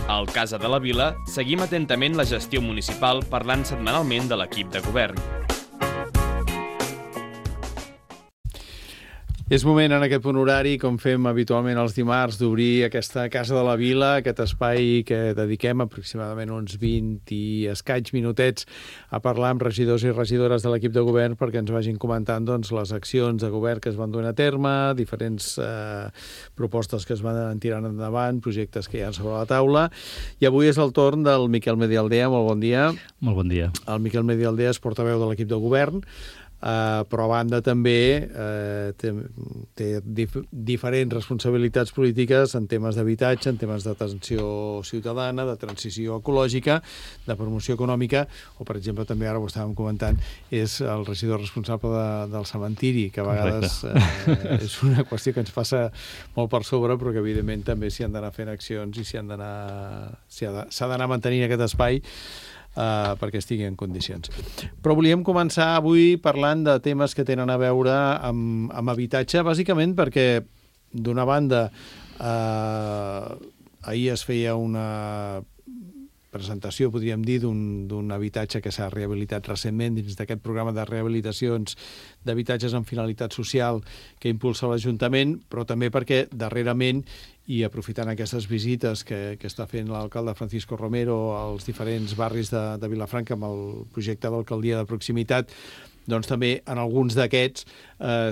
Al Casa de la Vila seguim atentament la gestió municipal parlant setmanalment de l'equip de govern. És moment en aquest punt horari, com fem habitualment els dimarts, d'obrir aquesta Casa de la Vila, aquest espai que dediquem aproximadament uns 20 i escaig minutets a parlar amb regidors i regidores de l'equip de govern perquè ens vagin comentant les accions de govern que es van duent a terme, diferents propostes que es van tirant endavant, projectes que hi ha sobre la taula. I avui és el torn del Miquel Medialdea. Molt bon dia. Molt bon dia. El Miquel Medialdea és portaveu de l'equip de govern, però a banda també té diferents responsabilitats polítiques en temes d'habitatge, en temes d'atenció ciutadana, de transició ecològica, de promoció econòmica, o per exemple també ara ho estàvem comentant, és el regidor responsable del cementiri, que a vegades és una qüestió que ens passa molt per sobre, però que evidentment també s'hi han d'anar fent accions i s'ha d'anar mantenint aquest espai perquè estigui en condicions. Però volíem començar avui parlant de temes que tenen a veure amb habitatge, bàsicament perquè, d'una banda, ahir es feia una presentació, podríem dir, d'un habitatge que s'ha rehabilitat recentment dins d'aquest programa de rehabilitacions d'habitatges amb finalitat social que impulsa l'Ajuntament, però també perquè darrerament, i aprofitant aquestes visites que està fent l'alcalde Francisco Romero als diferents barris de Vilafranca amb el projecte d'alcaldia de proximitat, doncs també en alguns d'aquests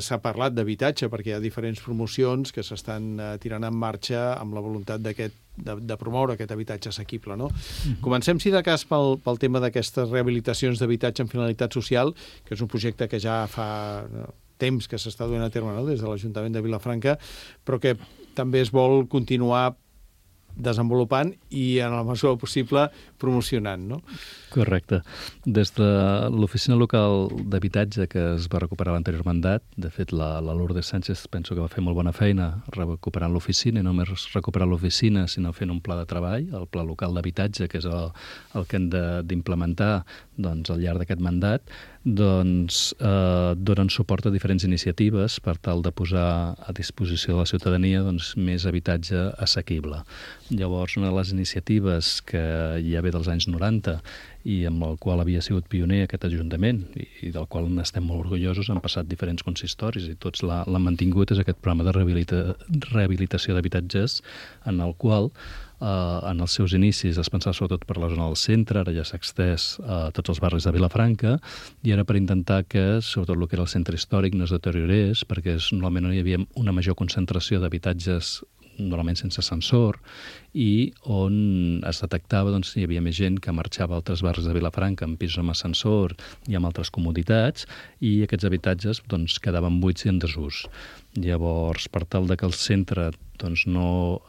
s'ha parlat d'habitatge, perquè hi ha diferents promocions que s'estan tirant en marxa amb la voluntat de promoure aquest habitatge assequible, no? Comencem, si de cas, pel tema d'aquestes rehabilitacions d'habitatge amb finalitat social, que és un projecte que ja fa temps que s'està duent a terme, no?, des de l'Ajuntament de Vilafranca, però que també es vol continuar desenvolupant i, en la mesura possible, promocionant, no? Correcte. Des de l'oficina local d'habitatge que es va recuperar l'anterior mandat, de fet, la Lourdes Sánchez penso que va fer molt bona feina recuperant l'oficina, i no només recuperar l'oficina, sinó fent un pla de treball, el pla local d'habitatge, que és el que hem d'implementar al llarg d'aquest mandat, donen suport a diferents iniciatives per tal de posar a disposició de la ciutadania més habitatge assequible. Llavors, una de les iniciatives que ja ve dels anys 90 i amb el qual havia sigut pioner aquest Ajuntament i del qual n'estem molt orgullosos, han passat diferents consistoris i tots l'han mantingut, és aquest programa de rehabilitació d'habitatges en el qual en els seus inicis es pensava sobretot per la zona del centre, ara ja s'ha extès a tots els barris de Vilafranca, i era per intentar que, sobretot el que era el centre històric, no es deteriorés, perquè normalment no hi havia una major concentració d'habitatges normalment sense ascensor, i on es detectava hi havia més gent que marxava a altres barris de Vilafranca amb pisos amb ascensor i amb altres comoditats, i aquests habitatges quedaven buits i en desús. Llavors, per tal que el centre no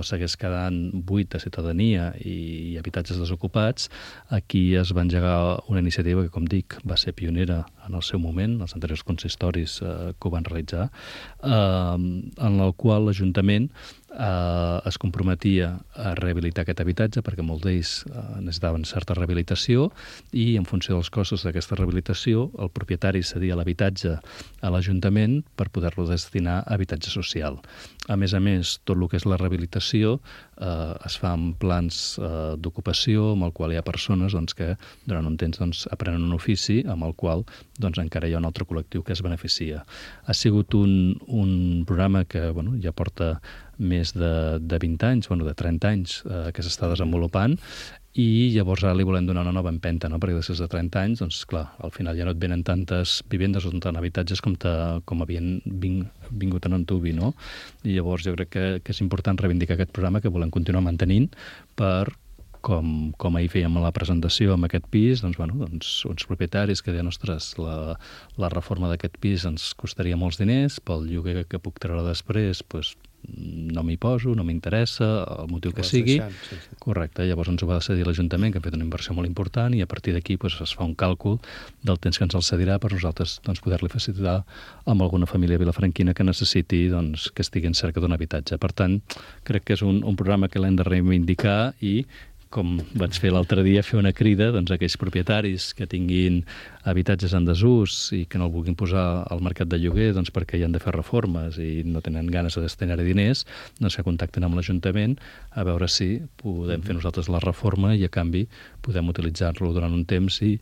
segueix quedant buit de ciutadania i habitatges desocupats, aquí es va engegar una iniciativa que, com dic, va ser pionera en el seu moment, els anteriors consistoris que ho van realitzar, en el qual l'Ajuntament es comprometia a rehabilitar aquest habitatge perquè molts d'ells necessitaven certa rehabilitació, i en funció dels costos d'aquesta rehabilitació el propietari cedia l'habitatge a l'Ajuntament per poder-lo destinar a habitatge social. A més, tot el que és la rehabilitació es fa en plans d'ocupació amb el qual hi ha persones que durant un temps aprenen un ofici amb el qual encara hi ha un altre col·lectiu que es beneficia. Ha sigut un programa que ja porta més de 20 anys, de 30 anys que s'està desenvolupant, i llavors ara li volem donar una nova empenta, no? Perquè després de 30 anys, clar, al final ja no et venen tantes vivendes o tant habitatges com havien vingut en antuvi, no? I llavors jo crec que és important reivindicar aquest programa que volem continuar mantenint per, com ahir fèiem a la presentació amb aquest pis, uns propietaris que deien, ostres, la reforma d'aquest pis ens costaria molts diners, pel lloguer que puc treure després, no m'hi poso, no m'interessa, el motiu que sigui. Correcte, llavors ens ho va cedir l'Ajuntament, que ha fet una inversió molt important, i a partir d'aquí es fa un càlcul del temps que ens el cedirà per nosaltres poder-li facilitar amb alguna família vilafranquina que necessiti que estigui en cerca d'un habitatge. Per tant, crec que és un programa que l'hem de reivindicar i, com vaig fer l'altre dia, fer una crida doncs, a aquells propietaris que tinguin habitatges en desús i que no el vulguin posar al mercat de lloguer doncs, perquè hi han de fer reformes i no tenen ganes de destinar-hi diners, doncs que contacten amb l'Ajuntament a veure si podem fer nosaltres la reforma i a canvi podem utilitzar-lo durant un temps i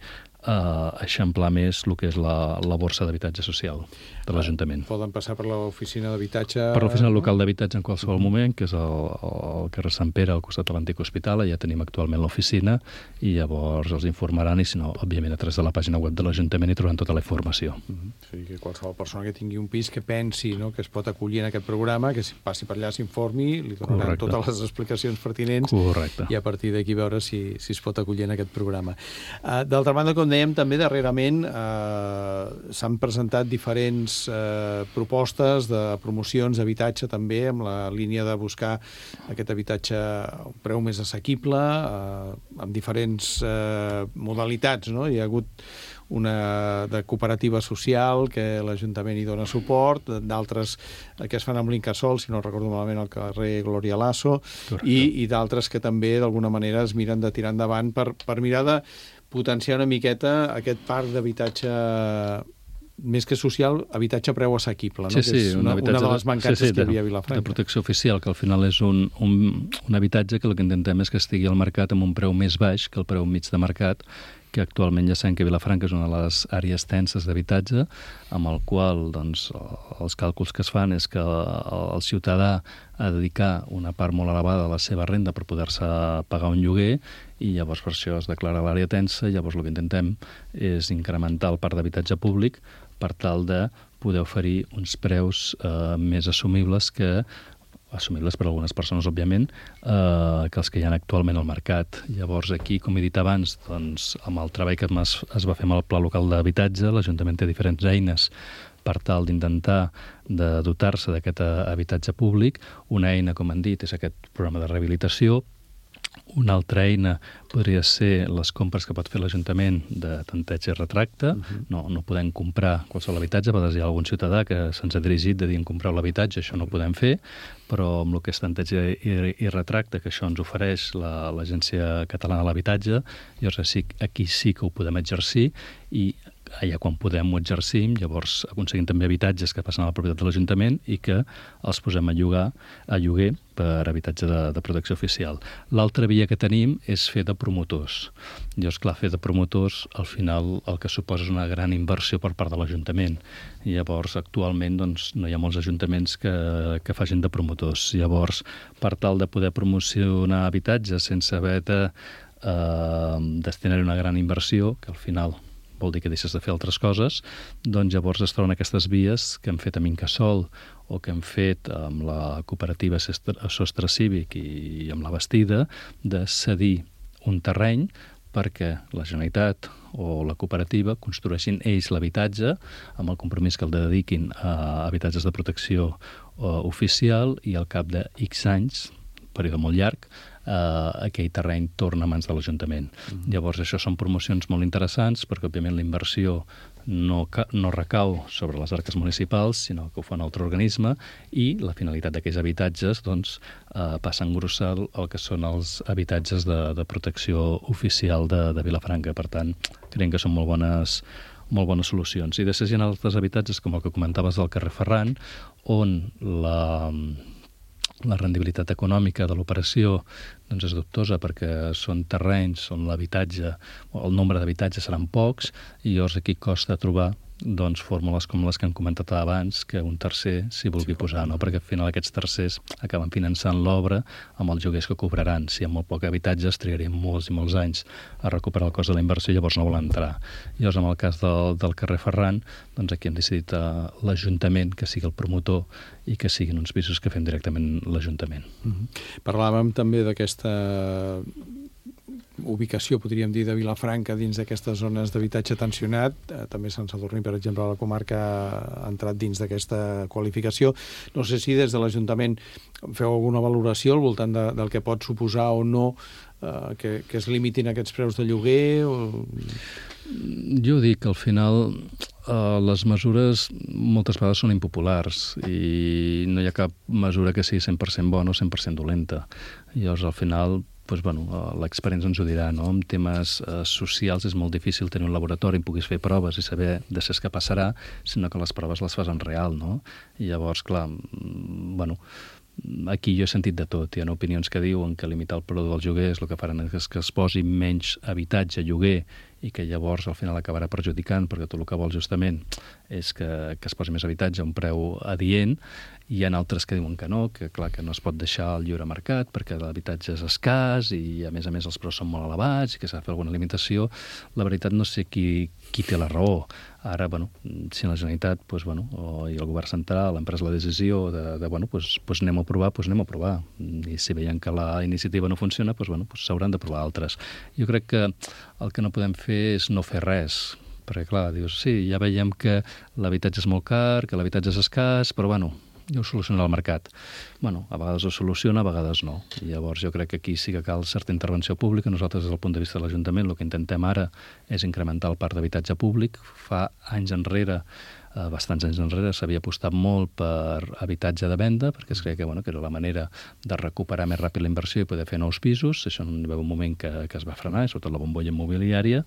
eixamplar més el que és la borsa d'habitatge social de l'Ajuntament. Poden passar per l'oficina d'habitatge... Per l'oficina local d'habitatge en qualsevol moment, que és el carrer Sant Pere, al costat de l'antic hospital, ja tenim actualment l'oficina i llavors els informaran i, si no, òbviament, a través de la pàgina web de l'Ajuntament hi trobaran tota la informació. O sigui, que qualsevol persona que tingui un pis que pensi que es pot acollir en aquest programa, que passi per allà, s'informi, li donaran totes les explicacions pertinents. Correcte. I a partir d'aquí veure si es pot acollir en aquest programa. D'altra banda, com dèiem, també darrerament s'han presentat diferents propostes de promocions d'habitatge també amb la línia de buscar aquest habitatge a un preu més assequible amb diferents modalitats, no? Hi ha hagut una de cooperativa social que l'Ajuntament hi dona suport, d'altres que es fan amb l'Incasòl, si no recordo malament, al carrer Glòria Lasso, i d'altres que també d'alguna manera es miren de tirar endavant per mirar de potenciar una miqueta aquest parc d'habitatge més que social, habitatge a preu assequible, no? Sí, Que és una de les mancances que hi havia a Vilafranca. De protecció oficial, que al final és un habitatge que el que intentem és que estigui al mercat amb un preu més baix que el preu mig de mercat, que actualment ja sabem que Vilafranca és una de les àrees tenses d'habitatge, amb el qual doncs, els càlculs que es fan és que el ciutadà ha de dedicar una part molt elevada de la seva renda per poder-se pagar un lloguer i llavors per això es declara l'àrea tensa i llavors el que intentem és incrementar el parc d'habitatge públic per tal de poder oferir uns preus més assumibles per a algunes persones, òbviament, que els que hi ha actualment al mercat. Llavors, aquí, com he dit abans, doncs, amb el treball que es va fer amb el Pla Local d'Habitatge, l'Ajuntament té diferents eines per tal d'intentar de dotar-se d'aquest habitatge públic. Una eina, com han dit, és aquest programa de rehabilitació. Una altra eina podria ser les compres que pot fer l'Ajuntament de tanteig i retracte. No podem comprar qualsevol habitatge, a vegades hi ha algun ciutadà que se'ns ha dirigit de dir en compreu l'habitatge, això no ho podem fer, però amb el que és tanteig i retracte, que això ens ofereix l'Agència Catalana de l'Habitatge, llavors aquí sí que ho podem exercir i allà quan podem ho exercim, llavors aconseguim també habitatges que passen a la propietat de l'Ajuntament i que els posem a lloguer per habitatge de protecció oficial. L'altra via que tenim és fer de promotors. Llavors, clar, fer de promotors, al final el que suposa és una gran inversió per part de l'Ajuntament. Llavors, actualment, doncs, no hi ha molts ajuntaments que facin de promotors. Llavors, per tal de poder promocionar habitatges sense haver de destinar-hi una gran inversió, que al final vol dir que deixes de fer altres coses, doncs llavors es troben aquestes vies que hem fet amb Incasòl o que hem fet amb la cooperativa Sostre Cívic i amb la Bastida, de cedir un terreny perquè la Generalitat o la cooperativa construeixin ells l'habitatge amb el compromís que el dediquin a habitatges de protecció oficial i al cap de X anys, període molt llarg, aquell terreny torna a mans de l'Ajuntament. Llavors, això són promocions molt interessants perquè, òbviament, la inversió no recau sobre les arques municipals, sinó que ho fa un altre organisme i la finalitat d'aquells habitatges doncs, passa a engrossar el que són els habitatges de protecció oficial de Vilafranca. Per tant, creiem que són molt bones solucions. I després hi ha altres habitatges, com el que comentaves del carrer Ferran, on la rendibilitat econòmica de l'operació doncs és dubtosa perquè són terrenys on el nombre d'habitatges seran pocs i llavors aquí costa trobar doncs, fórmules com les que hem comentat abans que un tercer s'hi vulgui posar, no? Perquè al final aquests tercers acaben finançant l'obra amb els lloguers que cobraran. Si hi ha molt poc habitatges trigarien molts i molts anys a recuperar el cost de la inversió i llavors no volen entrar. Llavors, en el cas del carrer Ferran, doncs aquí hem decidit l'Ajuntament que sigui el promotor i que siguin uns pisos que fem directament l'Ajuntament. Parlàvem també d'aquesta ubicació, podríem dir, de Vilafranca dins d'aquestes zones d'habitatge tensionat. També Sant Sadurní, per exemple, a la comarca ha entrat dins d'aquesta qualificació. No sé si des de l'Ajuntament feu alguna valoració al voltant del que pot suposar o no que es limitin aquests preus de lloguer? Jo dic que al final les mesures moltes vegades són impopulars i no hi ha cap mesura que sigui 100% bona o 100% dolenta. Llavors, al final, l'experiència ens ho dirà, no? En temes socials és molt difícil tenir un laboratori on puguis fer proves i saber després què passarà, sinó que les proves les fas en real, no? I llavors, clar, aquí jo he sentit de tot. Hi ha opinions que diuen que limitar el preu del lloguer és el que faran és que es posi menys habitatge a lloguer i que llavors al final acabarà perjudicant, perquè tu el que vols justament és que es posi més habitatge a un preu adient. Hi ha altres que diuen que no, que clar, que no es pot deixar al lliure mercat perquè l'habitatge és escàs i a més els preus són molt elevats i que s'ha de fer alguna limitació. La veritat no sé qui té la raó. Ara, si la Generalitat i el govern central han pres la decisió de anem a provar, anem a provar. I si veiem que la iniciativa no funciona, s'hauran de provar altres. Jo crec que el que no podem fer és no fer res, perquè clar, dius, sí, ja veiem que l'habitatge és molt car, que l'habitatge és escàs, però ja ho soluciona el mercat. A vegades ho soluciona, a vegades no. I llavors jo crec que aquí sí que cal certa intervenció pública. Nosaltres, des del punt de vista de l'Ajuntament, el que intentem ara és incrementar el parc d'habitatge públic. Fa anys enrere, bastants anys enrere, s'havia apostat molt per habitatge de venda, perquè es creia que era la manera de recuperar més ràpid la inversió i poder fer nous pisos. Això hi va haver un moment que es va frenar, sobretot la bombolla immobiliària.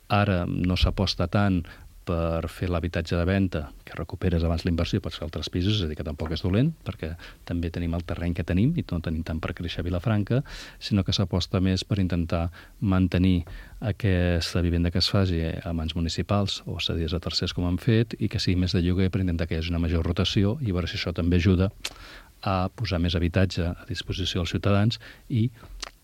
Ara no s'aposta tant per fer l'habitatge de venda, que recuperes abans la inversió i pots fer altres pisos, és a dir, que tampoc és dolent, perquè també tenim el terreny que tenim i no tenim tant per créixer a Vilafranca, sinó que s'aposta més per intentar mantenir aquesta vivenda que es faci a mans municipals o cedides a tercers com han fet i que sigui més de lloguer per intentar que hi hagi una major rotació i veure si això també ajuda a posar més habitatge a disposició dels ciutadans i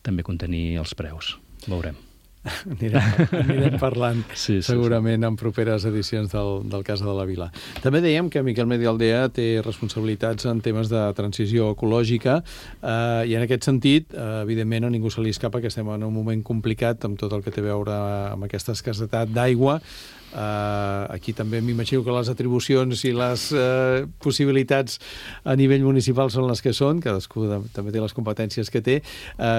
també contenir els preus. Veurem. Anirem parlant segurament en properes edicions del Casa de la Vila. També dèiem que Miquel Medialdea té responsabilitats en temes de transició ecològica i en aquest sentit, evidentment, a ningú se li escapa que estem en un moment complicat amb tot el que té a veure amb aquesta escassetat d'aigua. Aquí també m'imagino que les atribucions i les possibilitats a nivell municipal són les que són, cadascú també té les competències que té.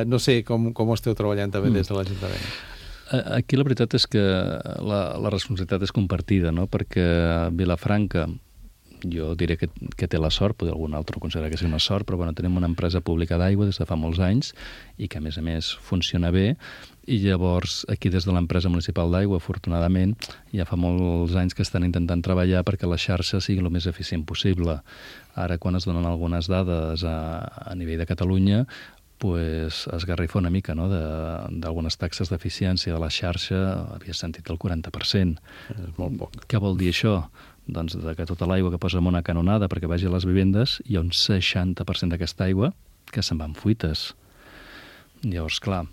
No sé com ho esteu treballant també des de l'Ajuntament. Aquí la veritat és que la responsabilitat és compartida, no? Perquè Vilafranca, jo diré que té la sort, potser algun altre considera que és una sort, però tenim una empresa pública d'aigua des de fa molts anys i que a més funciona bé, i llavors aquí des de l'empresa municipal d'aigua, afortunadament, ja fa molts anys que estan intentant treballar perquè la xarxa sigui el més eficient possible. Ara, quan es donen algunes dades a nivell de Catalunya, es garrifa una mica, no? D'algunes taxes d'eficiència de la xarxa, havia sentit el 40%. És molt poc. Què vol dir això? Doncs que tota l'aigua que posa en una canonada perquè vagi a les vivendes, hi ha un 60% d'aquesta aigua que se'n va en fuites. Llavors, clar,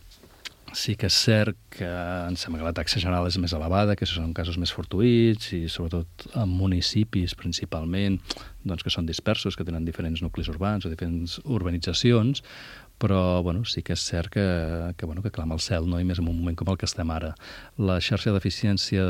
sí que és cert que em sembla que la taxa general és més elevada, que són casos més fortuïts i sobretot en municipis principalment, doncs que són dispersos, que tenen diferents nuclis urbans o diferents urbanitzacions, però sí que és cert que clama al cel, no? I més en un moment com el que estem ara. La xarxa d'eficiència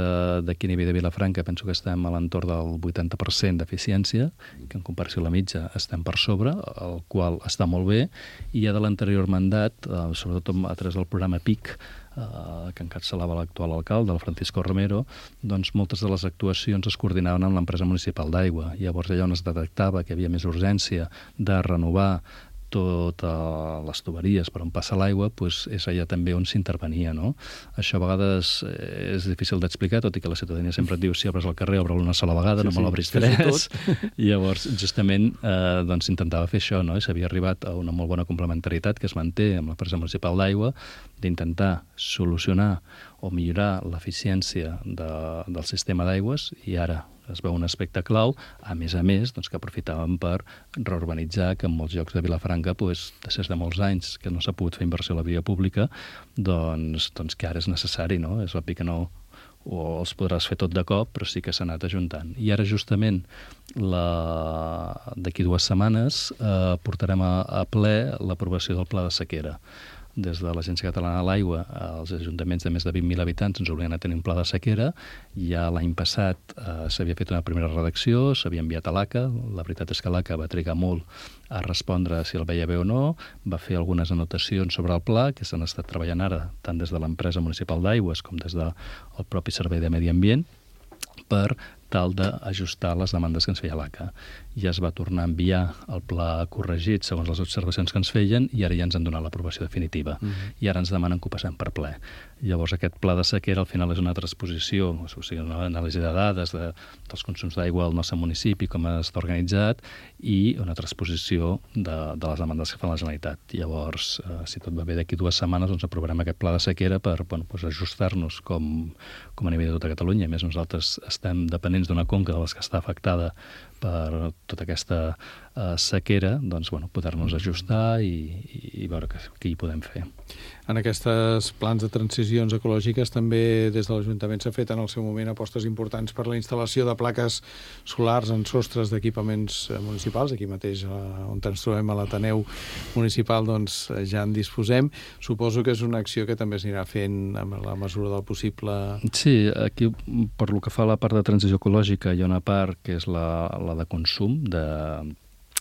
d'aquí a nivell de Vilafranca penso que estem a l'entorn del 80% d'eficiència, que en comparació a la mitja estem per sobre, el qual està molt bé, i ja de l'anterior mandat, sobretot a través del programa PIC, que encapçalava l'actual alcalde, el Francisco Romero, doncs moltes de les actuacions es coordinaven amb l'empresa municipal d'aigua. Llavors allà on es detectava que hi havia més urgència de renovar totes les tuberies per on passa l'aigua, és allà també on s'intervenia, no? Això a vegades és difícil d'explicar, tot i que la ciutadania sempre et diu si obres el carrer, obre-lo una sola vegada, no me l'obris tres. I llavors, justament, s'intentava fer això, no? I s'havia arribat a una molt bona complementarietat que es manté amb l'empresa municipal d'aigua, d'intentar solucionar o millorar l'eficiència del sistema d'aigües, i ara es veu un aspecte clau, a més, que aprofitàvem per reurbanitzar, que en molts llocs de Vilafranca, després de molts anys que no s'ha pogut fer inversió a la via pública, doncs que ara és necessari, no? És obvi que no els podràs fer tot de cop, però sí que s'ha anat ajuntant. I ara, justament, d'aquí 2 setmanes, portarem a ple l'aprovació del Pla de Sequera. Des de l'Agència Catalana de l'Aigua, els ajuntaments de més de 20.000 habitants ens obliguen a tenir un pla de sequera. Ja l'any passat s'havia fet una primera redacció, s'havia enviat a l'ACA. La veritat és que l'ACA va trigar molt a respondre si el veia bé o no. Va fer algunes anotacions sobre el pla, que s'han estat treballant ara, tant des de l'empresa municipal d'aigües com des del propi Servei de Medi Ambient, per tal d'ajustar les demandes que ens feia l'ACA. ja es va tornar a enviar el pla corregit segons les observacions que ens feien i ara ja ens han donat l'aprovació definitiva. I ara ens demanen que ho passem per ple. Llavors aquest pla de sequera al final és una transposició, o sigui, una anàlisi de dades dels consums d'aigua al nostre municipi, com està organitzat, i una transposició de les demandes que fa la Generalitat. Llavors, si tot va bé, d'aquí 2 setmanes doncs aprovarem aquest pla de sequera per ajustar-nos com a nivell de tota Catalunya. A més, nosaltres estem dependents d'una conca de les que està afectada per tota aquesta sequera, doncs, poder-nos ajustar i veure què hi podem fer. En aquests plans de transicions ecològiques també des de l'Ajuntament s'ha fet en el seu moment apostes importants per la instal·lació de plaques solars en sostres d'equipaments municipals. Aquí mateix, on ens trobem a l'Ateneu Municipal, doncs ja en disposem. Suposo que és una acció que també s'anirà fent amb la mesura del possible. Sí, aquí, per lo que fa a la part de transició ecològica, hi ha una part que és la de consum,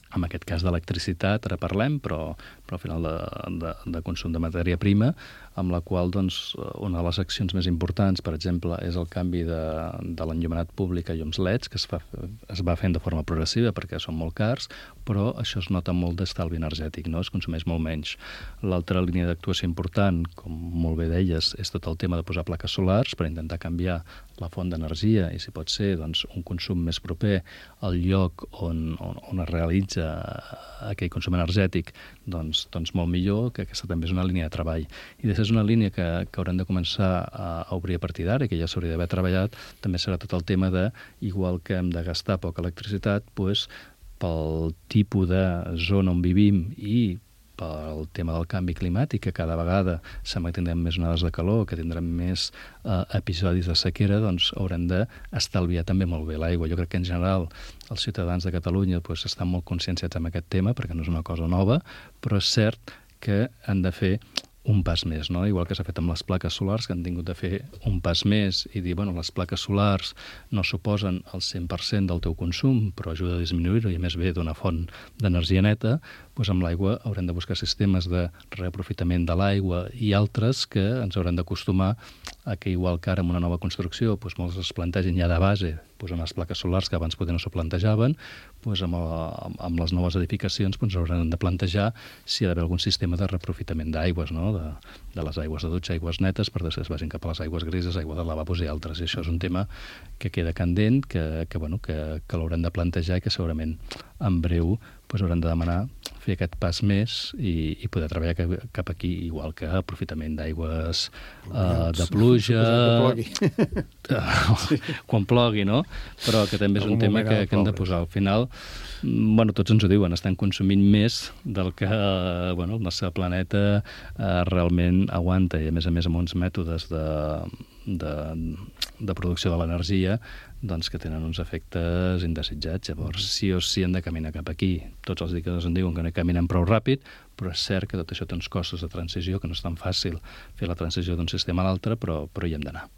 en aquest cas d'electricitat, ara parlem, però al final de consum de matèria prima, amb la qual doncs, una de les accions més importants, per exemple, és el canvi de l'enllumenat públic a llums LEDs, que es va fent de forma progressiva perquè són molt cars, però això es nota molt d'estalvi energètic, no? Es consumeix molt menys. L'altra línia d'actuació important, com molt bé deies, és tot el tema de posar plaques solars per intentar canviar la font d'energia i, si pot ser, doncs, un consum més proper al lloc on es realitza aquell consum energètic, doncs molt millor, que aquesta també és una línia de treball. I després és una línia que haurem de començar a obrir a partir d'ara, que ja s'hauria d'haver treballat, també serà tot el tema de, igual que hem de gastar poca electricitat, doncs, pel tipus de zona on vivim i pel tema del canvi climàtic, que cada vegada sembla que tindrem més onades de calor, que tindrem més episodis de sequera, doncs haurem d'estalviar també molt bé l'aigua. Jo crec que en general els ciutadans de Catalunya doncs, estan molt conscienciats amb aquest tema, perquè no és una cosa nova, però és cert que han de fer un pas més, no? Igual que s'ha fet amb les plaques solars, que han tingut de fer un pas més i dir, les plaques solars no suposen el 100% del teu consum, però ajuda a disminuir-ho i a més ve d'una font d'energia neta, doncs amb l'aigua haurem de buscar sistemes de reaprofitament de l'aigua i altres que ens haurem d'acostumar a que, igual que ara amb una nova construcció, doncs molts es plantegin ja de base unes plaques solars que abans potser no s'ho plantejaven, doncs amb les noves edificacions doncs haurem de plantejar si hi ha d'haver algun sistema de reaprofitament d'aigües, no? De les aigües de dutxa, aigües netes, per després vagin cap a les aigües grises, aigua de lavabos i altres. I això és un tema que queda candent, que l'haurem de plantejar i que segurament en breu haurem de demanar fer aquest pas més i poder treballar cap aquí, igual que aprofitament d'aigües de pluja, quan plogui, no? Però que també és un tema que hem de posar al final. Tots ens ho diuen, estan consumint més del que el nostre planeta realment aguanta, i a més amb uns mètodes de producció de l'energia doncs que tenen uns efectes indesitjats. Llavors, sí o sí hem de caminar cap aquí. Tots els indicadors en diuen que no caminem prou ràpid, però és cert que tot això té uns costos de transició, que no és tan fàcil fer la transició d'un sistema a l'altre, però hi hem d'anar.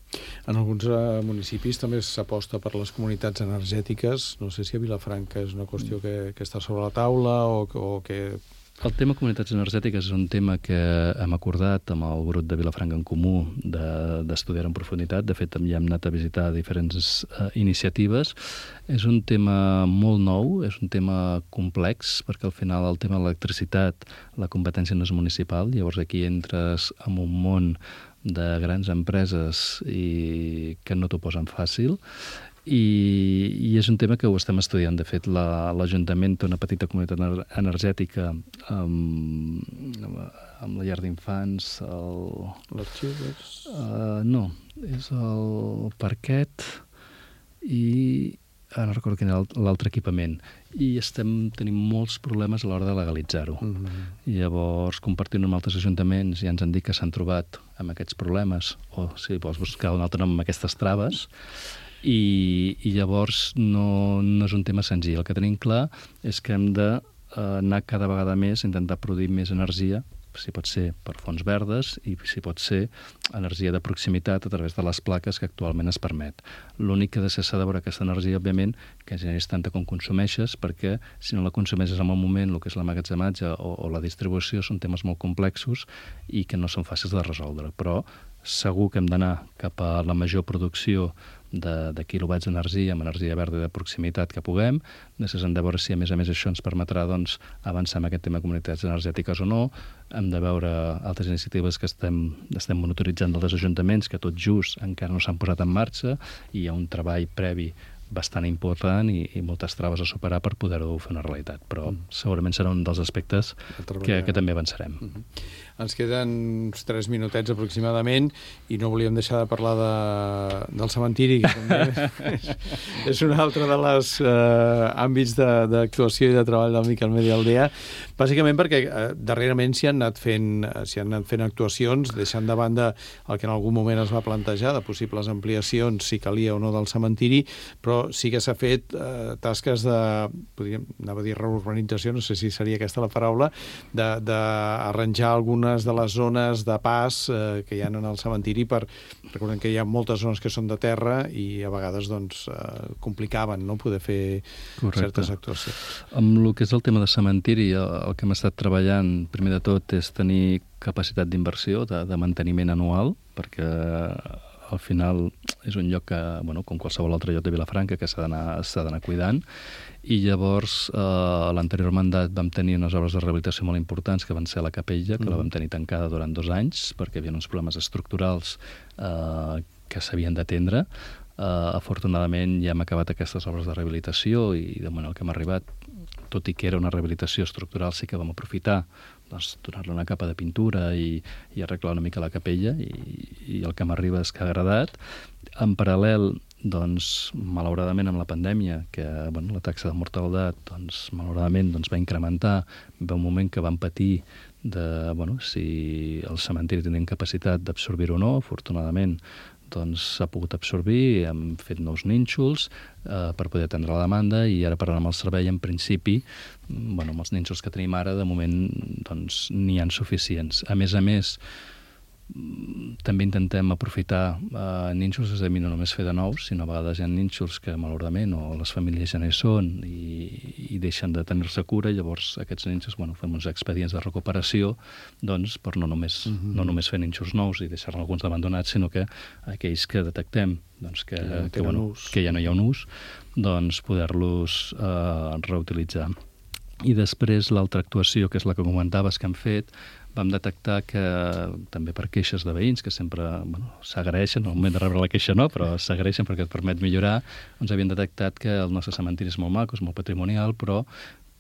En alguns municipis també s'aposta per les comunitats energètiques. No sé si a Vilafranca és una qüestió que està sobre la taula o que... El tema comunitats energètiques és un tema que hem acordat amb el grup de Vilafranca en Comú d'estudiar en profunditat. De fet, ja hem anat a visitar diferents iniciatives. És un tema molt nou, és un tema complex, perquè al final el tema de l'electricitat, la competència no és municipal, llavors aquí entres en un món de grans empreses i que no t'ho posen fàcil. I és un tema que ho estem estudiant. De fet, l'Ajuntament té una petita comunitat energètica amb la llar d'infants. Les Xives? No, és el Parquet i no recordo quin era l'altre equipament. I tenim molts problemes a l'hora de legalitzar-ho. Llavors, compartint amb altres ajuntaments, ja ens han dit que s'han trobat amb aquests problemes, o si vols buscar un altre nom amb aquestes traves, i llavors no és un tema senzill. El que tenim clar és que hem d'anar cada vegada més a intentar produir més energia, si pot ser per fonts verdes i si pot ser energia de proximitat a través de les plaques que actualment es permet. L'únic que s'ha de veure aquesta energia, òbviament, que generis tanta com consumeixes, perquè si no la consumeixes en el moment, el que és l'emmagatzematge o la distribució són temes molt complexos i que no són fàcils de resoldre. Però segur que hem d'anar cap a la major producció de quilowatts d'energia amb energia verda de proximitat que puguem. Després hem de veure si, a més, això ens permetrà avançar en aquest tema de comunitats energètiques o no. Hem de veure altres iniciatives que estem monitoritzant dels ajuntaments, que tot just encara no s'han posat en marxa, i hi ha un treball previ bastant important i moltes traves a superar per poder-ho fer una realitat. Però segurament serà un dels aspectes que també avançarem. Ens queden uns 3 minutets aproximadament i no volíem deixar de parlar del cementiri, que també és un altre dels àmbits d'actuació i de treball del Miquel Medi Aldea, bàsicament perquè darrerament s'hi han anat fent actuacions, deixant de banda el que en algun moment es va plantejar de possibles ampliacions, si calia o no, del cementiri, però sí que s'ha fet tasques anava a dir reurbanització, no sé si seria aquesta la paraula, d'arranjar algunes de les zones de pas que hi ha en el cementiri. Recordem que hi ha moltes zones que són de terra i a vegades complicaven poder fer certes actuacions. Amb el que és el tema de cementiri, el que hem estat treballant, primer de tot, és tenir capacitat d'inversió, de manteniment anual, perquè al final és un lloc que, com qualsevol altre lloc de Vilafranca, que s'ha d'anar cuidant. I llavors, a l'anterior mandat vam tenir unes obres de rehabilitació molt importants, que van ser a la capella, que la vam tenir tancada durant 2 anys, perquè hi havia uns problemes estructurals que s'havien d'atendre. Afortunadament ja hem acabat aquestes obres de rehabilitació i de moment el que hem arribat, tot i que era una rehabilitació estructural, sí que vam aprofitar donar-li una capa de pintura i arreglar una mica la capella, i el que m'arriba és que ha agradat. En paral·lel, malauradament amb la pandèmia, que la taxa de mortalitat malauradament va incrementar, va un moment que vam patir si el cementiri tenia capacitat d'absorbir o no. Afortunadament s'ha pogut absorbir, hem fet nous nínxols per poder atendre la demanda, i ara parlant amb el servei, en principi, amb els nínxols que tenim ara, de moment n'hi ha suficients. A més, també intentem aprofitar nínxols, és a dir, no només fer de nous, sinó a vegades hi ha nínxols que malauradament o les famílies ja no hi són i deixen de tenir-se cura, i llavors aquests nínxols fem uns expedients de recuperació per no només fer nínxols nous i deixar alguns abandonats, sinó que aquells que detectem que ja no hi ha un ús, poder-los reutilitzar. I després l'altra actuació, que és la que comentaves que hem fet, vam detectar que, també per queixes de veïns, que sempre s'agraeixen, al moment de rebre la queixa no, però s'agraeixen perquè et permet millorar, havien detectat que el nostre cementiri és molt maco, és molt patrimonial, però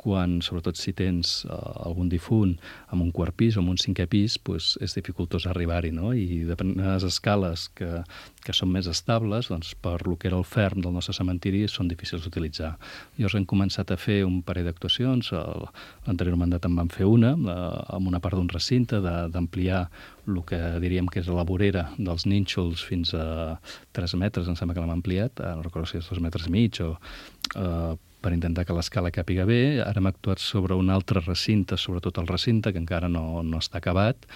sobretot si tens algun difunt amb un quart pis o amb un 5è pis, és dificultós arribar-hi, no? I determinades escales que són més estables, per lo que era el ferm del nostre cementiri, són difícils d'utilitzar. Llavors hem començat a fer un parell d'actuacions. L'anterior mandat en vam fer una, amb una part d'un recinte, d'ampliar el que diríem que és la vorera dels nínxols fins a 3 metres, em sembla que l'hem ampliat, no recordo si és 2,5 metres, per intentar que l'escala càpiga bé. Ara hem actuat sobre un altre recinte, sobretot el recinte, que encara no està acabat,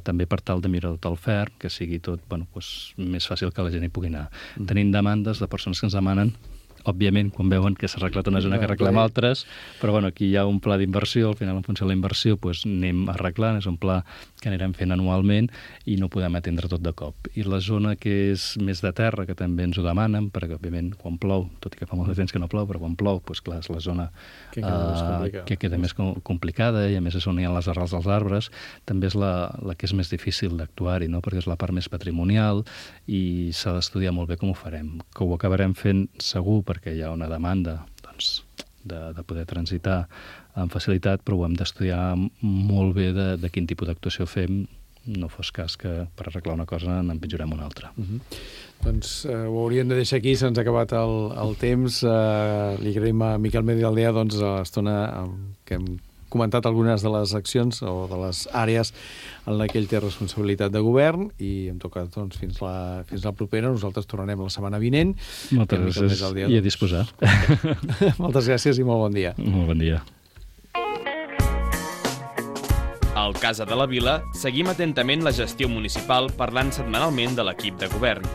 també per tal de mirar tot el ferm, que sigui tot més fàcil que la gent hi pugui anar. Tenim demandes de persones que ens demanen, òbviament, quan veuen que s'ha arreglat una zona que arreglem altres, però aquí hi ha un pla d'inversió, al final, en funció de la inversió, anem arreglant, és un pla que anirem fent anualment i no podem atendre tot de cop. I la zona que és més de terra, que també ens ho demanen, perquè, òbviament, quan plou, tot i que fa molt de temps que no plou, però quan plou, clar, és la zona que queda més complicada, i a més és on hi ha les arrels dels arbres, també és la que és més difícil d'actuar-hi, perquè és la part més patrimonial i s'ha d'estudiar molt bé com ho farem, que ho acabarem fent segur, perquè hi ha una demanda de poder transitar amb facilitat, però ho hem d'estudiar molt bé de quin tipus d'actuació fem, no fos cas que per arreglar una cosa n'empitjorem una altra. Ho hauríem de deixar aquí, se'ns ha acabat el temps. Li agraïm a Miquel Medi Aldea l'estona que hem comentat algunes de les accions o de les àrees en la que ell té responsabilitat de govern, i en tot cas fins la propera. Nosaltres tornarem la setmana vinent. Moltes gràcies i a disposar. Moltes gràcies i molt bon dia. Molt bon dia. Al Casa de la Vila seguim atentament la gestió municipal, parlant setmanalment de l'equip de govern.